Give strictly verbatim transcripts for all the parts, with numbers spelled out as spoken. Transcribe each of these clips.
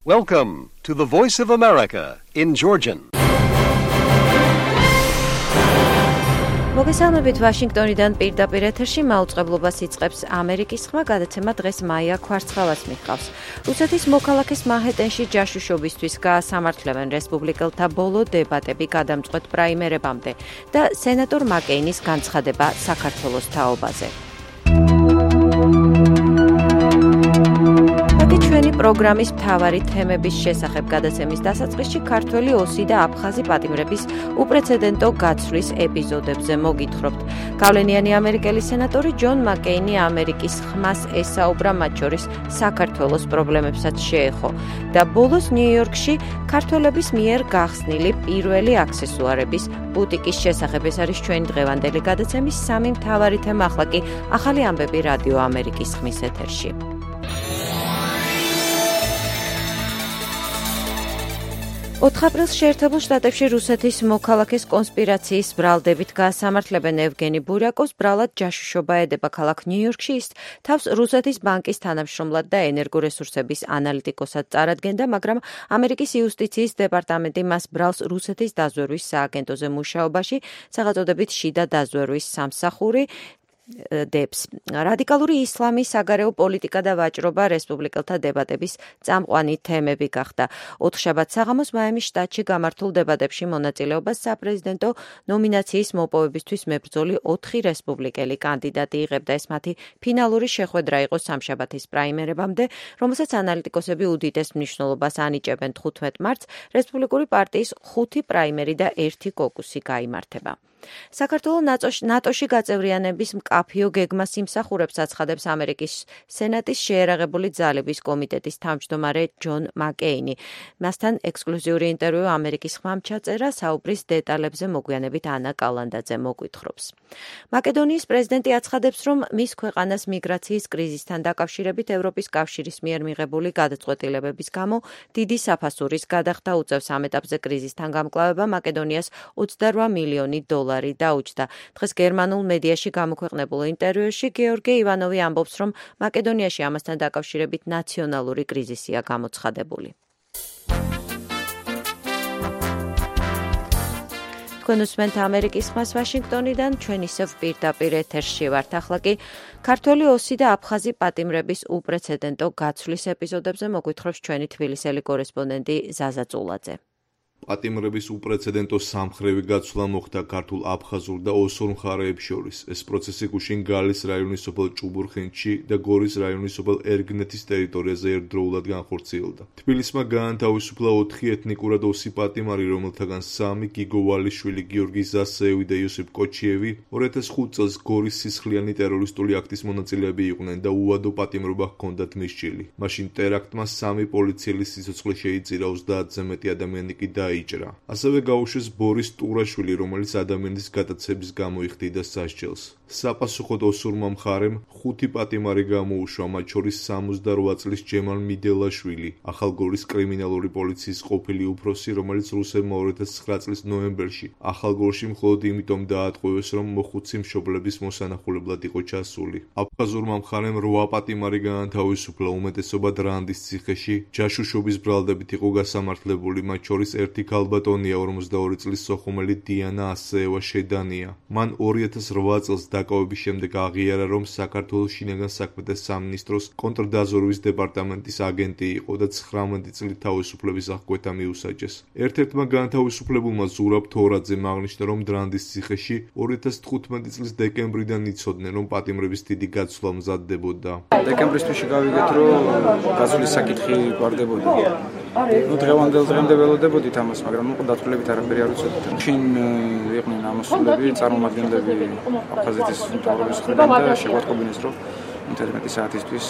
Welcome to the Voice of America in Georgian. მოგესალმებით ვაშინგტონიდან პირდაპირ ეთერში მაუწყებლობას იწყებს ამერიკის ხმა გადაცემა დღეს მაია ქვარცხალას მიჰყავს. რუსეთის მოქალაქეს მანჰეტენში ჯაშუშობისთვის გაასამართლებენ რესპუბლიკელთა ბოლო დებატები გადამწყვეტ პრაიმერებამდე და სენატორ მაკეინის განცხადება საქართველოს თაობაზე. ჩვენი პროგრამის მთავარი თემების შესახებ გადაცემის დასაწყისში ქართველი ოსი და აფხაზი პატიმრების უპრეცედენტო გაცვლის ეპიზოდებზე მოგითხრობთ. გავლენიანი ამერიკელი სენატორი ჯონ მაკეინი ამერიკის ხმას ესაუბრა, მათ შორის საქართველოს პრობლემებსაც შეეხო და ბოლოს ნიუ-იორკში ქართველების მიერ გახსნილი პირველი აქსესუარების ბუტიკის შესახებ. ეს არის ჩვენი დღევანდელი გადაცემის სამი მთავარი თემა. ახლა კი ახალი ამბები რადიო ამერიკის ხმის ეთერში. ოთხ აპრილს შეერთებულ შტატებში რუსეთის მოქალაქეს კონსპირაციის ბრალდებით გაასამართლებენ ევგენი ბურიაკოვს. ბრალად ჯაშუშობა ედება ქალაქ ნიუ-იორკში. ის თავს რუსეთის ბანკის თანამშრომლად და ენერგორესურსების ანალიტიკოსად წარადგენდა, მაგრამ ამერიკის იუსტიციის დეპარტამენტი მას ბრალს რუსეთის დაზვერვის სააგენტოზე მუშაობაში, სახელწოდებით შიდა დაზვერვის სამსახური დებს. რადიკალური ისლამი, საგარეო პოლიტიკა და ვაჭრობა რესპუბლიკელთა დებატების წამყვანი თემები გახდა. ოთხშაბათს საღამოს მაიმის შტატში გამართულ დებატებში მონაწილეობას საპრეზიდენტო ნომინაციის მოპოვებისთვის მებრძოლი ოთხი რესპუბლიკელი კანდიდატი იღებდა. ეს მათი ფინალური შეხვედრა იყო სამშაბათის პრაიმერებამდე, რომელსაც ანალიტიკოსები უდიდეს მნიშვნელობას ანიჭებენ. თხუთმეტ მარტს რესპუბლიკური პარტიის ხუთი პრაიმერი და ერთი კოკუსი გაიმართება. საქართველოს ნატოში გაწევრიანების მკაფიო გეგმას იმსახურებს, აცხადებს ამერიკის სენატის შეერაღებული ძალების კომიტეტის თავმჯდომარე ჯონ მაკეინი. მასთან ექსკლუზიური ინტერვიუ ამერიკის ხმამ ჩაწერა, საუბრის დეტალებზე მოგვიანებით ანა კალანდაძე მოგვითხრობს. მაკედონიის პრეზიდენტი აცხადებს, რომ მის ქვეყანას მიგრაციის კრიზისთან დაკავშირებით ევროპის კავშირის მიერ მიღებული გადაწყვეტილებების გამო დიდი საფასურის გადახდა უწევს. ამ ეტაპზე კრიზისთან გამკლავება მაკედონიას ოცდარვა მილიონი დოლარი დაუჯდა. დღეს გერმანულ მედიაში გამოქვეყნებულ ინტერვიუში გეორგი ივანოვი ამბობს, რომ მაკედონიაში ამასთან დაკავშირებით ნაციონალური კრიზისია გამოცხადებული. თქვენ უსმენთ ამერიკის ხმას ვაშინგტონიდან, ჩვენ ისევ პირდაპირ ეთერში ვართ. ახლა კი ქართველი ოსი და აფხაზი პატიმრების უპრეცედენტო გაცვლის ეპიზოდებზე მოგვითხრობს ჩვენი თბილისელი კორესპონდენტი ზაზა წულაძე. პატიმრების უპრეცედენტო სამხრევი გაცვლა მოხდა ქართულ აფხაზურ და ოსურ მხარეებს შორის. ეს პროცესი გუშინ გალის რაიონის სოფელ ჭუბურხინში და გორის რაიონის სოფელ ერგნეთის ტერიტორიაზე ერთდროულად განხორციელდა. თბილისმა გაანთავისუფლა ოთხი ეთნიკურად ოსი პატიმარი, რომელთაგან სამი გიგო ვალიშვილი, გიორგი ზასეევი და იოსებ კოჩიევი ორი ათას ხუთ წელს გორის სისხლიანი ტერორისტული აქტის მონაწილეები იყვნენ და უვადო პატიმრობა ჰქონდათ მისჯილი. მაშინ ტერაქტმა სამი პოლიციელის სიცოცხლე შეიწირა, ოცდაათზე მეტი ადამიანი კი და იჭრა. ასევე გაუშვეს ბორის ტურაშვილი, რომელიც ადამიანის გატაცების გამო იხდიდა სასჯელს. საპასუხოდ ოსურმა მხარემ ხუთი პატიმარი გამოუშვა, მათ შორის სამოცდარვა წლის ჯემალ მიდელაშვილი, ახალგორის კრიმინალური პოლიციის ყოფილი უფროსი, რომელიც რუსებმა ორი ათას ცხრა წლის ნოემბერში ახალგორში მხოლოდ იმიტომ დაატყვევეს, რომ მოხუცი მშობლების მოსანახულებლად იყო ჩასული. აფხაზურმა მხარემ რვა პატიმარი გაანთავისუფლა, უმეტესობა დრანდის ციხეში ჯაშუშობის ბრალდებით იყო გასამართლებული, მათ შორის ერთი ქალბატონია, ორმოცდაორი წლის სოხუმელი დიანა ასეევა შედანია. მან ორი ათას რვა წელს დაკავების შემდეგ აღიარა, რომ საქართველოს შინაგან საქმეთა სამინისტროს კონტრდაზვერვის დეპარტამენტის აგენტი იყო და ცხრამეტი წლით თავისუფლების აღკვეთა მიუსაჯეს. ერთ-ერთმა განთავისუფლებულმა ზურაბ თორაძემ აღნიშნა, რომ დრანდის ციხეში ორი ათას თხუთმეტი წლის დეკემბრიდან იცოდნენ, რომ პატიმრების დიდი გაცვლა მზადდებოდა. დეკემბრის თვეში გავიგეთ, რომ გაცვლის საკითხი გვარდებოდა. ნუ დღევანდელ დღემდე ველოდებოდით ამას, მაგრამ ნუ დათვლებით არაფერი არ ვიცოდით. შინ იყვნენ ამოსულები, წარმომადგენლები აფხაზეთის მთავრობის მხრიდან და შეგვატყობინეს, რომ ინტერნეტი საათისთვის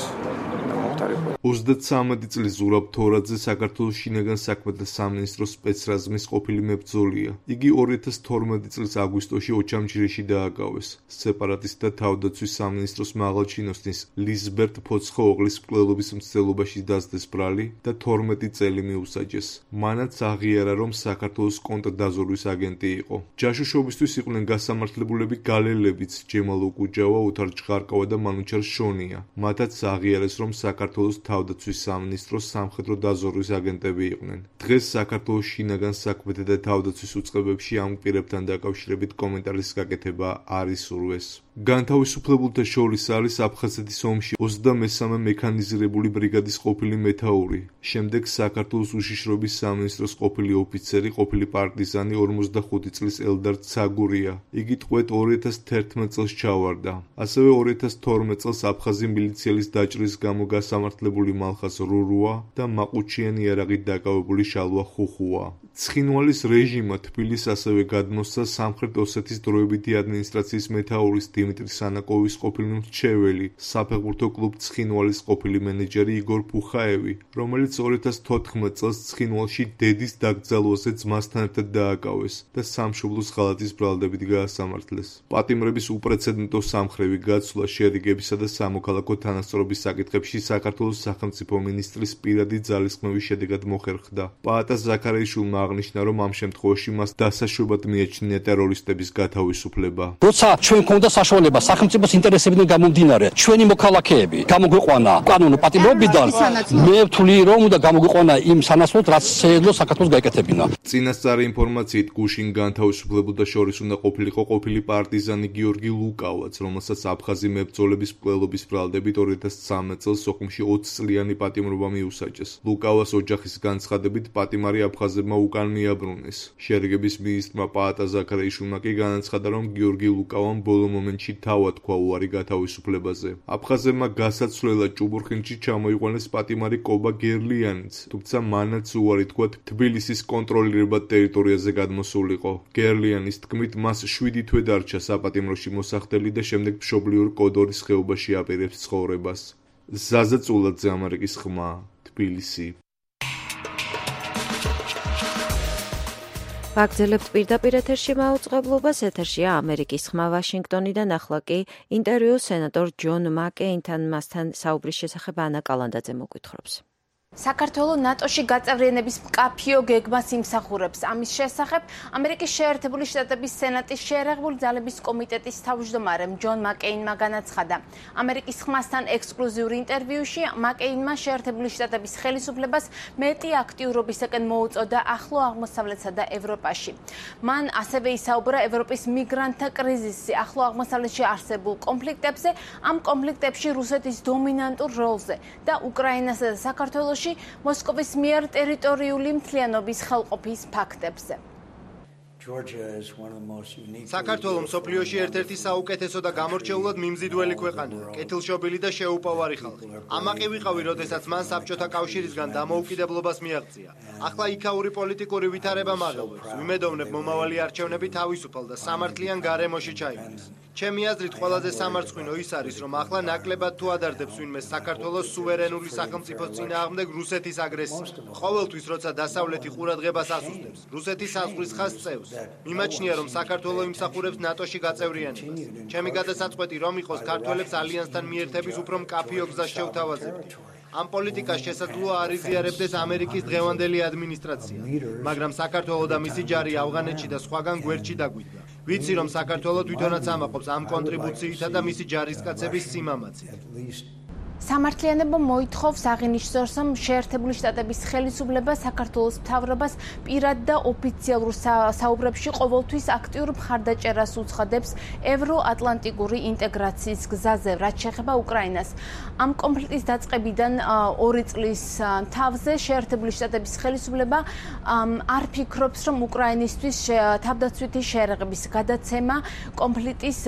მომხდარიყო. ოცდაცამეტი წლის ზურაბ თორაძე საქართველოს შინაგან საქმეთა სამინისტროს სპეცრაზმის ყოფილი მებრძოლია. იგი ორი ათას თორმეტი წლის აგვისტოში ოჩამჩირეში დააკავეს. სეპარატისტთა თავდაცვის სამინისტროს მაღალჩინოსნის ლიზბერტ ფოცხოუღლის მკვლელობის მცდელობაში დასდეს ბრალი და თორმეტი წელი მიუსაჯეს. მანაც აღიარა, რომ საქართველოს კონტრდაზვერვის აგენტი იყო. ჯაშუშობისთვის იყვნენ გასამართლებულები გალელებიც, ჯემალ უკუჯავა, ოთარ ჭღარკავა და მანუჩარ შონია. მათაც აღიარეს, რომ საქართველოს საქართველოს თავდაცვის სამინისტროს სამხედრო დაზვერვის აგენტები იყვნენ. დღეს საქართველოს შინაგან საქმეთა და თავდაცვის უწყებებში ამ პირებთან დაკავშირებით კომენტარის გაკეთება არ ისურვეს. განთავისუფლებულთა შორის არის აფხაზეთის ომში ოცდამესამე მექანიზირებული ბრიგადის ყოფილი მეთაური, შემდეგ საქართველოს უშიშროების სამინისტროს ყოფილი ოფიცერი, ყოფილი პარტიზანი ორმოცდახუთი წლის ელდარ ცაგურია. იგი ტყვედ ორი ათას თერთმეტ წელს ჩავარდა. ასევე ორი ათას თორმეტ წელს აფხაზი მილიციელის დაჭრის გამო გასამართლებული მალხაზ რურუა და მაყუჩიანი იარაღით დაკავებული შალვა ხუხუა. ცხინვალის რეჟიმმა თბილისს ასევე გადმოსცა სამხრეთ ოსეთის დროებითი ადმინისტრაციის მეთაურის დიმიტრი სანაკოვის ყოფილი მრჩეველი, საფეხბურთო კლუბ ცხინვალის ყოფილი მენეჯერი იგორ ფუხაევი, რომელიც ორი ათას თოთხმეტ წელს ცხინვალში დედის დაკრძალვაზე ძმასთან ერთად დააკავეს და სამშობლოს ღალატის ბრალდებით გაასამართლეს. პატიმრების უპრეცედენტო სამხრევი გაცვლა შერიგებისა და სამოქალაქო თანასწორობის საკითხებში საქართველოს სახელმწიფო მინისტრის პირადი ძალისხმევის შედეგად მოხერხდა. პაატა ზაქარიაშვილმა აღნიშნა, რომ ამ შემთხვევაში მას დასაშვებად მიაჩნია ტერორისტების გათავისუფლება. როცა ჩვენ გვქონდა საშუალება სახელმწიფოს ინტერესებიდან გამომდინარე, ჩვენი მოქალაქეები გამოგვიყვანა კანონო პატიმრობიდან, მე ვთვლი, რომ უნდა გამოგვიყვანა იმ სანაცვლოდ, რაც შეეძლო საქართველოს გაეკეთებინა. წინასწარი ინფორმაციით გუშინ განთავისუფლებულთა შორის უნდა ყოფილიყო ყოფილი პარტიზანი გიორგი ლუკავაც, რომელსაც აფხაზი მებრძოლების მკვლელობის ბრალდებით ორი ათას ცხრამეტ წელს სოხუმში ოცი წლიანი პატიმრობა მიუსაჯეს. ლუკავას ოჯახის განცხადებით პატიმარი აფხაზებმა უკან მიაბრუნეს. შერიგების მინისტრმა პაატა ზაქარიაშვილმა კი განაცხადა, რომ გიორგი ლუკავამ ბოლო მომენტში თავად თქვა უარი გათავისუფლებაზე. აფხაზებმა გასაცვლელად ჭუბურხინში ჩამოიყვანეს პატიმარი კობა გერლიანიც, თუმცა მანაც უარი თქვა თბილისის კონტროლირებად ტერიტორიაზე გადმოსულიყო. გერლიანის თქმით, მას შვიდი თვე დარჩა საპატიმროში მოსახდელი და შემდეგ მშობლიურ კოდორის ხეობაში აპირებს ცხოვრებას. ზაზა წულაძე, ამერიკის ხმა, თბილისი. ვაგრძელებთ პირდაპირ ეთერში მაუწყებლობას. ეთერშია ამერიკის ხმა ვაშინგტონიდან. ახლა კი ინტერვიუ სენატორ ჯონ მაკეინთან, მასთან საუბრის შესახებ ანა კალანდაძე მოგვითხრობს. საქართველოს ნატოში გაწევრიანების მკაფიო გეგმას იმსახურებს. ამის შესახებ ამერიკის შეერთებული შტატების სენატის შეერაღებული ძალების კომიტეტის თავმჯდომარემ ჯონ მაკეინმა განაცხადა. ამერიკის ხმასთან ექსკლუზიურ ინტერვიუში მაკეინმა შეერთებული შტატების ხელისუფლებას მეტი აქტიურობისაკენ მოუწოდა ახლო აღმოსავლეთსა და ევროპაში. მან ასევე ისაუბრა ევროპის მიგრანტთა კრიზისზე, ახლო აღმოსავლეთში არსებულ კონფლიქტებზე, ამ კონფლიქტებში რუსეთის დომინანტურ როლზე და უკრაინასა და საქართველოს მოსკოვის მიერ ტერიტორიული მთლიანობის ხელყოფის ფაქტებზე. საქართველოს მსოფლიოში ერთ-ერთი საუკეთესო და გამორჩეულად მიმზიდველი ქვეყანაა, კეთილშობილი და შეუპოვარი ხალხი. ამაყი ვიყავი, როდესაც მან საბჭოთა კავშირისგან დამოუკიდებლობას მიაღწია. ახლა იქაური პოლიტიკური ვითარება მაღლობს. ვიმედოვნებ, მომავალი არჩევნები თავისუფალ და სამართლიან გარემოში ჩაიგდეს. ჩემი აზრით, ყველაზე სამარცხვინო ის არის, რომ ახლა ნაკლებად თუ ადარდებს ვინმე საქართველოს სუვერენული სახელმწიფოს წინააღმდეგ რუსეთის აგრესიას. ყოველთვის, როცა დასავლეთი ყურადღებას ასუსტებს, რუსეთის საზღვრის ხაზს წევს. მიმაჩნია, რომ საქართველოს იმსახურებს ნატოში გაწევრიანებას. ჩემი გადასაწყვეტი რომ იყოს ქართველებს ალიანსთან მიერთების უფრო მკაფიო გზას შევთავაზებთ. ამ პოლიტიკას შესაძლოა არ იზიარებდეს ამერიკის დღევანდელი ადმინისტრაცია, მაგრამ საქართველოს და მისი ჯარი ავღანეთში და სხვაგან გვერდში დაგვიდგა. ვიცი, რომ საქართველოს თვითონაც ამაყობს ამ კონტრიბუციითა და მისი ჯარისკაცების სიმამაცით. სამართლიანობა მოითხოვს აღინიშნოს, რომ შეერთებული შტატების ხელისუფლება საქართველოს მთავრობას პირად და ოფიციალურ საუბრებში ყოველთვის აქტიურ მხარდაჭერას უცხადებს ევროატლანტიკური ინტეგრაციის გზაზე, რაც შეეხება უკრაინას. ამ კონფლიქტის დაწყებიდან ორი წლის თავზე შეერთებული შტატების ხელისუფლება არ ფიქრობს, რომ უკრაინისთვის თავდაცვითი შეერაღების გადაცემა კონფლიქტის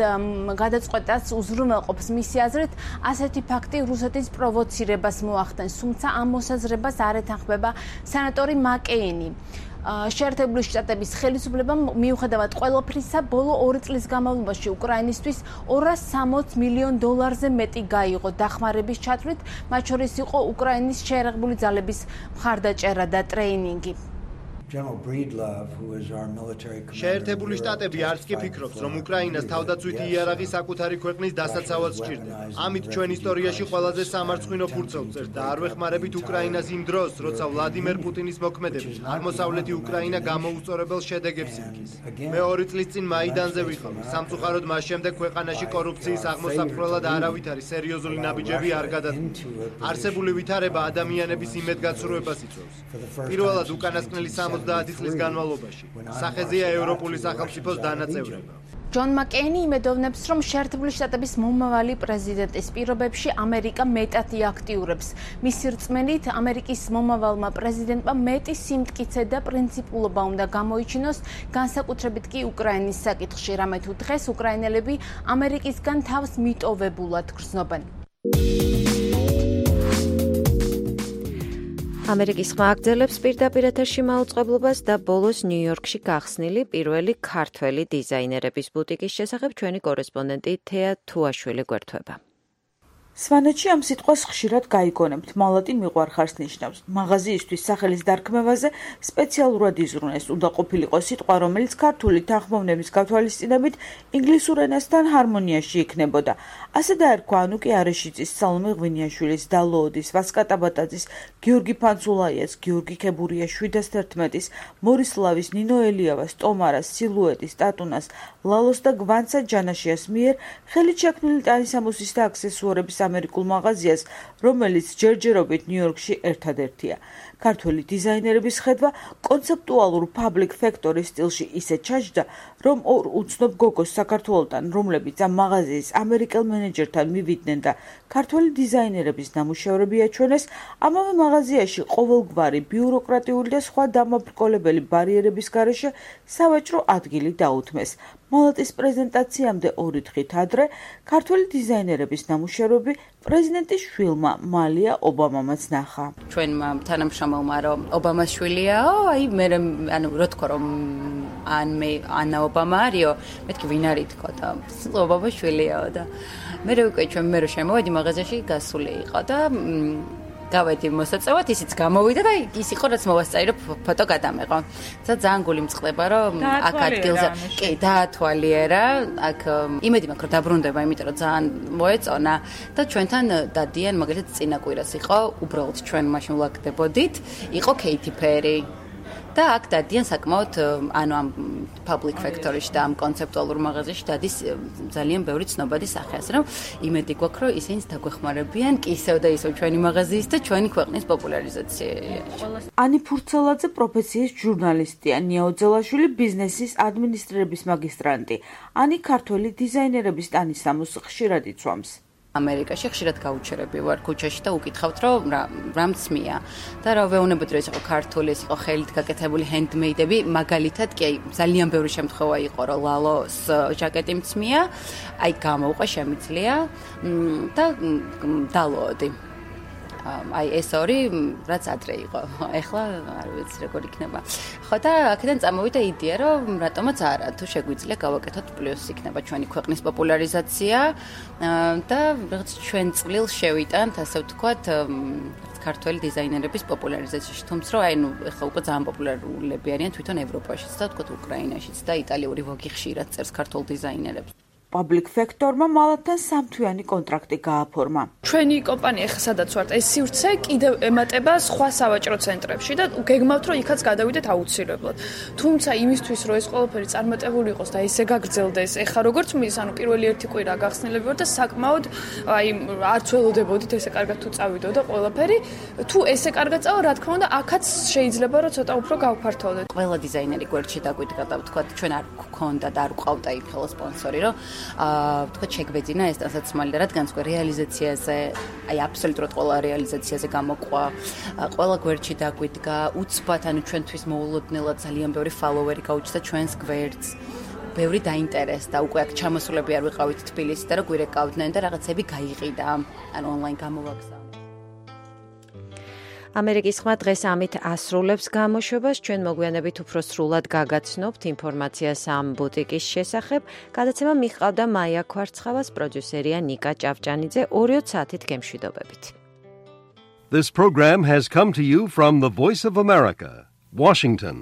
გადაწყვეტას უზრუნველყოფს. მისი აზრით, ასეთი ფაქტი რუსეთის პროვოცირებას მოახდენს, თუმცა ამ მოსაზრებას არ ეთანხმება სენატორი მაკეინი. შეერთებული შტატების ხელისუფლებამ მიუხედავად ყველაფრისა, ბოლო ორი წლის განმავლობაში უკრაინისთვის ორას სამოცი მილიონ დოლარზე მეტი გაიღო დახმარების ჩათვლით, მათ შორის იყო უკრაინის შეერაღებული ძალების მხარდაჭერა და ტრეინინგი. შეერთებული შტატები არც კი ფიქრობს, რომ უკრაინას თავდაცვითი იარაღი საკუთარი ქვეყნის დასაცავად სჭირდება. ამით ჩვენ ისტორიაში ყველაზე სამარცხვინო ფურცელს წერს და არ ვეხმარებით უკრაინას იმ დროს, როცა ვლადიმერ პუტინის მოქმედებით აღმოსავლეთი უკრაინა გამოუსწორებელ შედეგებს იღებს. მე ორი წლის წინ მაიდანზე ვიყავი. სამწუხაროდ მას შემდეგ ქვეყანაში კორუფციის აღმოსაფრთხებლად არავით არის სერიოზული ნაბიჯები არ გადადგა. არსებული ვითარება ადამიანების იმედგაცრუებას იწვევს. პირველად უკანასკნელი სამოცდაათი წლის განმავლობაში სახეზეა ევროპული სახელმწიფოს დანაწევრება. ჯონ მაკეინი იმედოვნებს, რომ შეერთებული შტატების მომავალი პრეზიდენტის პირობებში ამერიკა მეტად იაქტიურებს. მისი რწმენით, ამერიკის მომავალმა პრეზიდენტმა მეტი სიმტკიცე და პრინციპულობა უნდა გამოიჩინოს, განსაკუთრებით კი უკრაინის საკითხში, რამე თუ დღეს უკრაინელები ამერიკისგან თავს მიტოვებულად გრძნობენ. ამერიკის ხმა აგრძელებს პირდაპირ ეთერში მაუწყებლობას და ბოლოს ნიუ-იორკში გახსნილი პირველი ქართველი დიზაინერების ბუტიკის შესახებ ჩვენი კორესპონდენტი თეა თუაშვილი გვერდება. სვანეთში ამ სიტყვას ხშირად გაიგონებთ, მალატი მიყვარხარს ნიშნავს. მაღაზიისთვის სახელის დარქმევაზე სპეციალურად იზრუნეს, უნდა ყოფილიყო სიტყვა, რომელიც ქართული თანხმოვნების გათვალისწინებით ინგლისურ ენასთან ჰარმონიაში იქნებოდა. ასე დაერქვა ანუკი არეშიძის, სალომე ღვინიაშვილის, დალოოდის, ვასკა ტაბატაძის, გიორგი ფანცულაიას, გიორგი ქებურიას, შვიდას თერთმეტის, მორისლავის, ნინო ელიავას, ტომარას, სილუეტის, ტატუნას, ლალოს და გვანცა ჯანაშიას მიერ ხელით შექმნილი ტანისამოსის და აქსესუარების ამერიკულ მაღაზიას, რომელიც ჯერჯერობით ნიუ-იორკში ერთადერთია. ქართველი დიზაინერების ხედვა კონცეპტუალურ public factory სტილში ისე ჩაჯდა, რომ ორ უცნობ გოგოს საქართველოსთან, რომლებიც ამ მაღაზიის ამერიკელ მენეჯერთან მივიდნენ და ქართველი დიზაინერების ნამუშევრები აჩვენეს, ამავე მაღაზიაში ყოველგვარი ბიუროკრატიული და სხვა დამაბრკოლებელი ბარიერების გარეშე სავაჭრო ადგილი დაუთმეს. მალატის პრეზენტაციამდე ორი დღით ადრე ქართველი დიზაინერების ნამუშევრები პრეზიდენტის შვილმა მალია ობამამაც ნახა. ჩვენმა თანამშრომელმა რომ ობამას შვილიაო, აი მე ანუ რო თქო რომ ან მე ანა ობამა არისო, მეთქი ვინ არის თქო და ობამას შვილიაო და მე რო უკვე ჩვენ მე რო შემოვედი მაღაზიაში გასული იყო და გავედი მოსაწევად, ისიც გამოვიდა და ის იყო რაც მოვასწარი რომ ფოტო გადამეყო. და ძალიან გული მწყდება რომ აქ ადგილზე კი დაათვალიერა, აქ იმედი მაქვს რომ დაბრუნდება, იმიტომ რომ ძალიან მოეწონა და ჩვენთან დადიან, მაგალითად წინა კვირას იყო, უბრალოდ ჩვენ მაშინ ვლაგდებოდით, იყო კეითი პერი. და აქ დადიან საკმაოდ ანუ ამ public factory-ში და ამ კონცეპტუალურ მაღაზიაში დადის ძალიან ბევრი ცნობადი სახე, ასე რომ იმედი გვაქვს, რომ ისინი დაგვეხმარებიან კი ისევ და ისევ ჩვენი მაღაზიის და ჩვენი ქვეყნის პოპულარიზაციაში. ანი ფურცელაძე პროფესიის ჟურნალისტია, ნია ოძელაშვილი ბიზნესის ადმინისტრირების მაგისტრანტი. ანი ქართველი დიზაინერების ტანისამოს ხშირად იცვამს. ამერიკაში ხშირად გაუჩერები ვარ ქუჩაში და უკითხავთ რომ რა მწმია და რა ვეუბნებოდი რომ ეს იყო ქართული, ეს იყო ხელით გაკეთებული ჰენდმეიდები, მაგალითად კი აი ძალიან ბევრი შემთხვევა იყო რომ ლალოს ჟაკეტი მწმია, აი გამოვყვა შემიძლია და დალოოდი. აი ეს ორი რაც ადრე იყო. ეხლა არ ვიცი როგორ იქნება. ხო და აქედან წამოვიდა იდეა რომ რატომაც არა, თუ შეგვიძლია გავაკეთოთ პლუს იქნება ჩვენი ქვეყნის პოპულარიზაცია და რაღაც ჩვენ წვლილ შევიტანთ, ასე ვთქვათ, ქართველი დიზაინერების პოპულარიზაციაში. თუმცა რომ აი ნუ ეხლა უკვე ძალიან პოპულარულები არიან თვითონ ევროპაშიც და ვთქვათ უკრაინაშიც და იტალიური ვოგი ხშირად წერს ქართულ დიზაინერებს. public factor-მა მალათთან სამთვიანი კონტრაქტი გააფორმა. ჩვენი კომპანია ხა სადაც ვართ, ეს სივრცე კიდევ ემატება სხვა სავაჭრო ცენტრებში და გეგმავთ რომ იქაც გადავიდეთ აუცილებლად. თუმცა იმისთვის რომ ეს ყველაფერი წარმატებული იყოს და ესე გაგრძელდეს, ეხა როგორც მის, ანუ პირველი ერთი კვირა გახსნილები ვარ და საკმაოდ აი არც ველოდებოდით ესე კარგად თუ წავიდო და ყველაფერი, თუ ესე კარგად წავა, რა თქმა უნდა, აქაც შეიძლება რომ ცოტა უფრო გავფართოვდეთ. ყველა დიზაინერი გვერდში დაგვიდგა და ვთქვათ, ჩვენ არ გქონდა და არ გვყავდა იმ ხელო სპონსორი, რომ აა ვთქვათ შეგვეძინა ეს დასაცმალი და რადგან სხვა რეალიზაციაზე, აი აბსოლუტურად ყველა რეალიზაციაზე გამოყვა, ყველა გვერდში დაგვიდგა, უცბად ანუ ჩვენთვის მოულოდნელად ძალიან ბევრი ფოლოვერი გაუჩნდა ჩვენს გვერდს. ბევრი დაინტერესდა, უკვე აქ ჩამოსულები არ ვიყავით თბილისში და რა გვირეკავდნენ და რაღაცები გაიყიდა, ანუ ონლაინ გამოვაგზავნა. ამერიკის ხმა დღეს ამით ასრულებს გამოშვებას. ჩვენ მოგვიანებით უფრო სრულად გაგაცნობთ ინფორმაციას ამ ბუტიკის შესახებ. გადაცემა მიყავდა მაია ქვარცხავას, პროდიუსერია ნიკა ჭავჭანიძე. ორი საათით გემშვიდობებით. This program has come to you from the Voice of America, Washington.